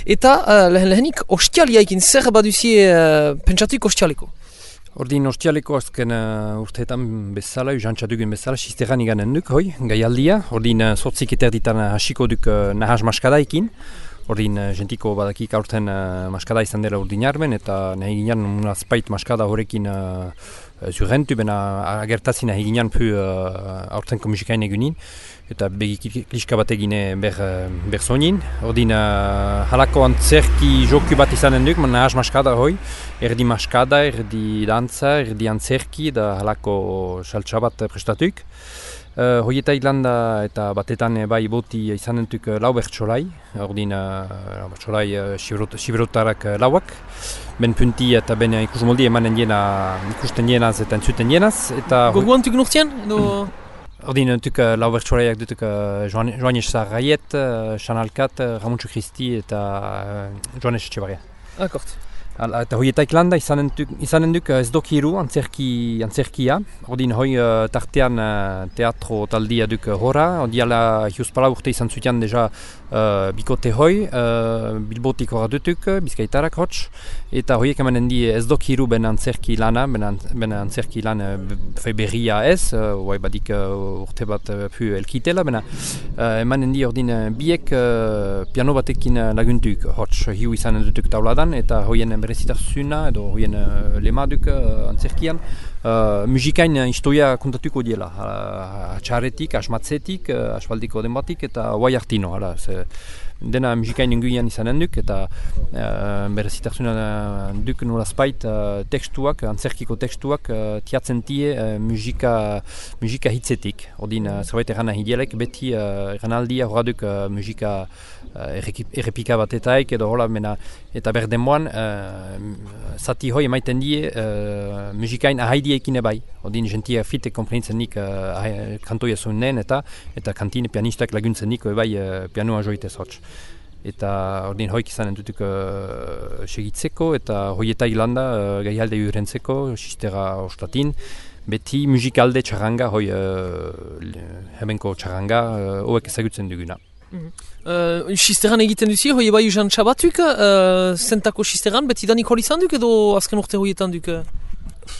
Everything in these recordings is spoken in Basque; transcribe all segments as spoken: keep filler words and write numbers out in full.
Eta uh, lehen lehenik ostialiaikin zer baduzie uh, pentsatuik ostialeko? Ordin ostialeko azken uh, urteetan bezala, usantza dugun bezala, sisteran iganen duk, hoi, gaialdia. Ordin uh, sortzik eterditan hasiko duk uh, nahaz maskadaikin. Ordin uh, gentiko badakik aurten uh, maskada izan dela ordin arben, eta nahi ginen unazpait maskada horrekin uh, zurrentu, bena agertazi nahi ginen pu uh, aurten musikain egunin. Eta begi kliska bat egine ber, ber sonin. Ordin uh, halako antzerki joku bat izanen duk, man nahaz maskada hoi. Erdi maskada, erdi dantza, erdi antzerki, da halako saltsa bat prestatuk. Uh, Hoieta Irlanda eta batetan bai boti izanen duk lau bertsolai. Ordin uh, bertsolai uh, siberotarak uh, lauak. Ben punti eta ben ikusmoldi emanen diena ikusten dienaz eta entzuten dienaz. Goguan tuk nurtian? Edo... Ordin duk uh, lau bertsolaiak dutuk uh, Joanes Sarraiet, uh, Chanalkat, uh, Ramontxo Christi eta uh, Joanes Etxebarria. Akort. Eta hoieta Irlanda izanen duk, izanen duk ez dokiru antzerki, antzerkia. Ordin hoi uh, tartean uh, teatro taldia duk horra. Odiala hiuspala urte izan zutian deja uh, bikote hoi, uh, bilbotik horra dutuk, bizkaitarak hotx. Eta hoiek emanen di ez dokiru ben antzerki lana, ben, an, ben antzerki lan uh, berria ez, uh, badik uh, urte bat uh, pu elkitela, bena uh, emanen di ordin uh, biek uh, piano batekin uh, laguntuk hotx, hiu izanen dutuk tauladan, eta hoien berezitarzuna edo hoien uh, lemaduk uh, antzerkian uh, musikain historia kontatuko diela. Atxarretik, asmatzetik, uh, asfaldiko denbatik eta guai hartino. Hala, ze, dena musikain inguian izanen duk eta uh, berezitarzuna duk nolazpait uh, tekstuak, antzerkiko tekstuak uh, tiatzen tie uh, musika, musika hitzetik. Ordin uh, zerbait erran ahidielek beti uh, erranaldia horra duk uh, musika uh, errepika batetaik edo hola mena eta berdemoan uh, zati hoi emaiten die uh, musikain ahaidiekin ebai. Ordin gentia fite komprentzen nik uh, kantoia zunen eta eta kantine pianistak laguntzen nik ebai uh, pianoa joitez hotx. Eta ordin hoik izanen dutuk uh, segitzeko eta hoieta Irlanda uh, gaialde urentzeko, sistera ostatin. Beti musikalde txarranga, hoi uh, hebenko txarranga, hoek uh, ezagutzen duguna. Mm-hmm. Uh, Sisteran egiten duzi, hoi bai usan txabatuk, uh, zentako sisteran, beti danik hori izan duk edo azken urte hoietan duk?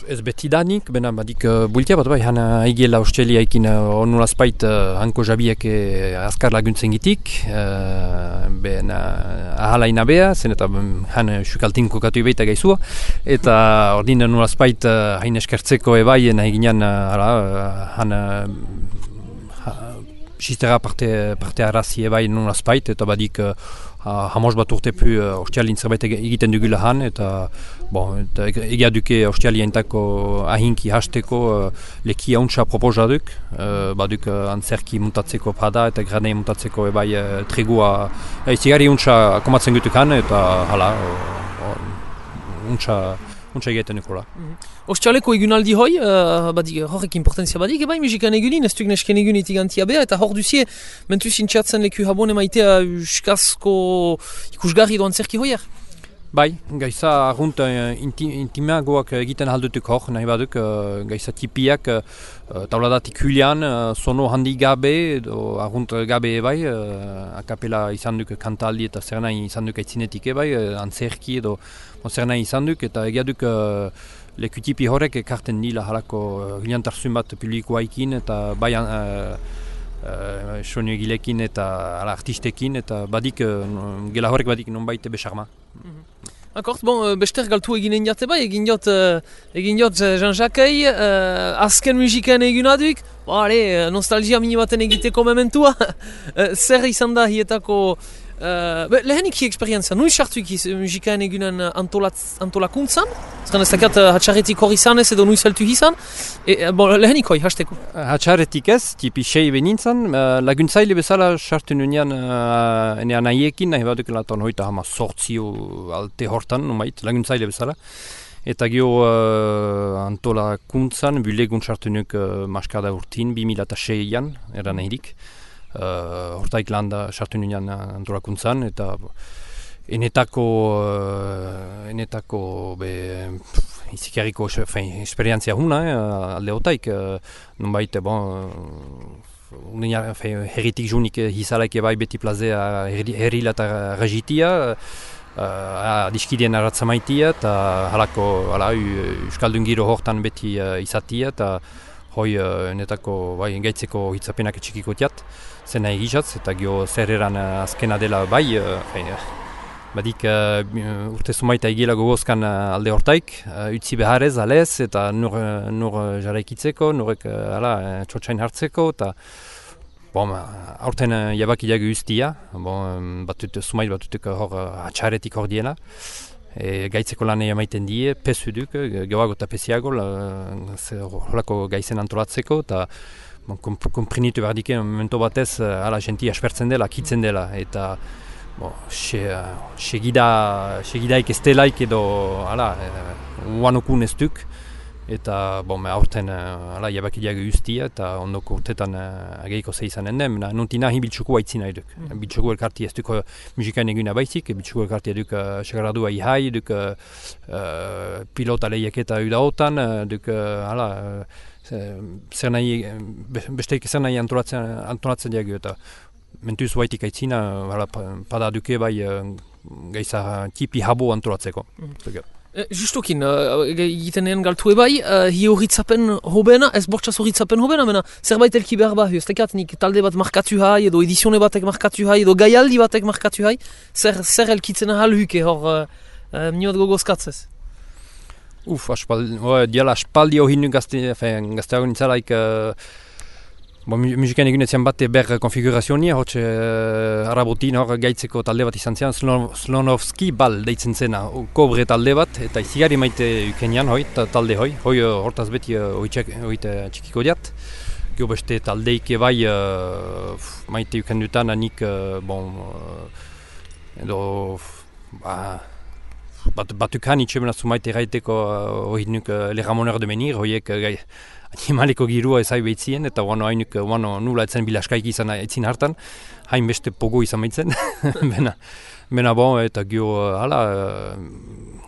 Ez beti danik, bena badik uh, bultia bat bai, hana haigela ostelia ekin uh, onulazpait uh, hanko jabiak uh, azkar laguntzen gitik, uh, bena ahala inabea, zen eta um, han sukaltin kokatu ebeita gaizua, eta ordin onulazpait uh, hain eskertzeko ebai nahi ginen uh, han uh, sistera parte, parte arazi ebai nolazpait, eta badik uh, hamos bat urte pu uh, ostialin zerbait egiten dugula han, eta, bon, eta egia duke ostialientako ahinki hasteko uh, leki hauntza proposa duk, uh, baduk uh, antzerki muntatzeko pada eta granei muntatzeko ebai uh, tregua uh, izigari hauntza komatzen gutuk han, eta hala, hauntza uh, Untsa egiten nukola. Mm-hmm. Ostialeko egunaldi hoi, uh, badik, horrek importantzia badik, ebai musikan egunin, ez duk nesken egun itigantia beha, eta hor duzie, mentu zintxatzen leku habon emaitea uskazko ikusgarri doan zerki hoier? Bai, gaiza argunt uh, inti, intimagoak egiten haldutuk hor, nahi baduk, uh, gaiza tipiak uh, tauladatik hulian, uh, sono handi gabe, edo argunt gabe ebai, uh, akapela izan duk kantaldi eta zer nahi izan duk aitzinetik ebai, uh, antzerki edo zer nahi izan duk, eta egia duk uh, leku tipi horrek ekarten dila halako uh, giliantarzun bat publikoaikin, eta bai uh, uh, soinu egilekin eta ala, artistekin, eta badik, uh, gela horrek badik non baite besarma. Mm-hmm. Akort, bon, bester galtu eginen jate bai, egin jot, uh, egin jot Jean-Jacques, uh, azken musikan egin aduk, ba, ale, nostalgia mini baten egiteko mementua, uh, zer izan da hietako, uh, be, lehenik hi eksperientzia, nui sartuik musikan egunen antolakuntzan, zeren ez dakat uh, hatxarretik hori izan ez edo nui zeltu izan, e, bon, lehenik hoi, hasteko. Hatxarretik ez, tipi sei benintzen, uh, laguntzaile bezala sartu nunean uh, ene anaiekin, nahi baduk laton hoita hama sortzio alte hortan, numait, laguntzaile bezala. Eta gio uh, antolakuntzan, bulegun sartu nuk uh, maskada urtin, bi mila seian, eran ehirik. Uh, hortaik landa sartu nunean antolakuntzan, eta enetako, uh, enetako be, izikarriko esperientzia huna, eh, alde hotaik, uh, nonbait, bon, uh, herritik junik hizalaik ebai beti plazea herrila eta regitia, uh, diskidien arratzamaitia, eta halako hala, Euskaldun giro hortan beti uh, izatia, eta hoi uh, netako bai, gaitzeko hitzapenak txikiko tiat, zena egizatz, eta gio zer eran uh, azkena dela bai, uh, fein, uh, badik uh, urte sumaita egila gogozkan uh, alde hortaik, uh, utzi beharrez, alez, eta nur, uh, nur uh, jarraikitzeko, nurek uh, ala, uh, txotxain hartzeko, eta bon, aurten uh, jabakiak ustia, bon, batut, sumait batutuk hor uh, atxaretik hor diela, e, gaitzeko lanei emaiten die, pesu duk, gehoago eta pesiago, horako gaizen antolatzeko, eta bon, komprinitu behar dike, momento batez, uh, ala, jenti aspertzen dela, kitzen dela, eta Bon, segida segidaik ez delaik edo hala, uanokun ez duk, eta bon, aurten hala, jabakideak ustia, eta ondoko urtetan uh, ageiko ze izanen den, nuntina hi biltsuko haitzina eduk. Mm. Biltsuko elkarti ez duk musikain eguna baizik, biltsuko elkarti eduk uh, segaradua ihai, duk uh, pilota lehiaketa udaotan, uh, duk uh, hala, uh, zer nahi, besteik zer nahi antolatzen, antolatzen diagio, eta mentuz baitik aitzina, pada duke bai gaiza tipi habo antolatzeko. Mm. E, justukin, egiten egin galtu ebai, uh, hi horitzapen hobena, ez bortxaz horitzapen hobena, mena zerbait elki behar bai, ez tekat nik talde bat markatu hai, edo edizione batek markatu hai, edo gaialdi batek markatu hai, zer, zer elkitzen ahal huke hor uh, uh, niot gogozkatzez? Uf, aspaldi, diala aspaldi hori nu gazte, gazteago nintzalaik, uh, Bon, musikan egunetzen bat ber konfigurazionia, hotxe uh, arabotin hor gaitzeko talde bat izan zian, Slonovski bal deitzen zena, kobre talde bat, eta izigari maite ukenian hoi, talde hoi, hoi hortaz beti uh, hoi txikiko diat. Gio beste taldeik bai uh, maite ukendutan anik, uh, bon, uh, edo, ba, bat, batukan itxemena zumaite gaiteko hoi uh, nuk uh, Le Ramoneur de Menir, hoiek uh, gai, animaleko girua ezai behitzien, eta wano hainuk wano nula etzen bilaskaik izan etzin hartan, hain beste pogo izan behitzen, bena, bena bon, eta gio, hala,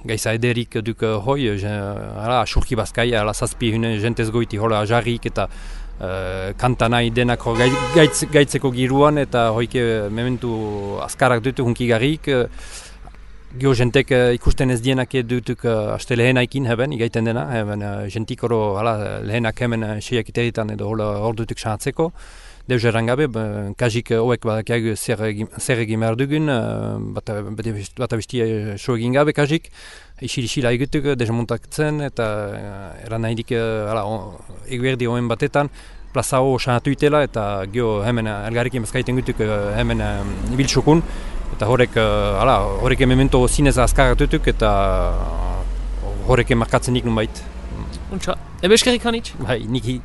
gaiza ederik duk hoi, hala, asurki bazkai, hala, zazpi hune jentez goiti, hola, jarrik, eta uh, kanta nahi denako gaitz, gaitzeko giruan, eta hoike mementu azkarak dutu hunki garrik, Gio jentek uh, ikusten ez dienak dutuk uh, aste lehenaikin heben, igaiten dena, heben uh, jentik oro hala, lehenak hemen uh, seiak iteritan edo hor dutuk sahatzeko. Deus errangabe, kajik hoek badakiag zer egin behar dugun, uh, bat, bat abistia so egin gabe kajik, isil-isila egutuk, desmontatzen, eta uh, eran nahi dik, uh, eguerdi hoen batetan, plaza ho sahatu itela, eta gio hemen uh, elgarrekin bazkaiten gutuk uh, hemen uh, biltsukun, eta horrek, hala, uh, horrek memento zinez azkaratutuk, eta uh, horrek markatzen nik nun bait. Untsa, ebe eskerrik hanitz? Bai, niki.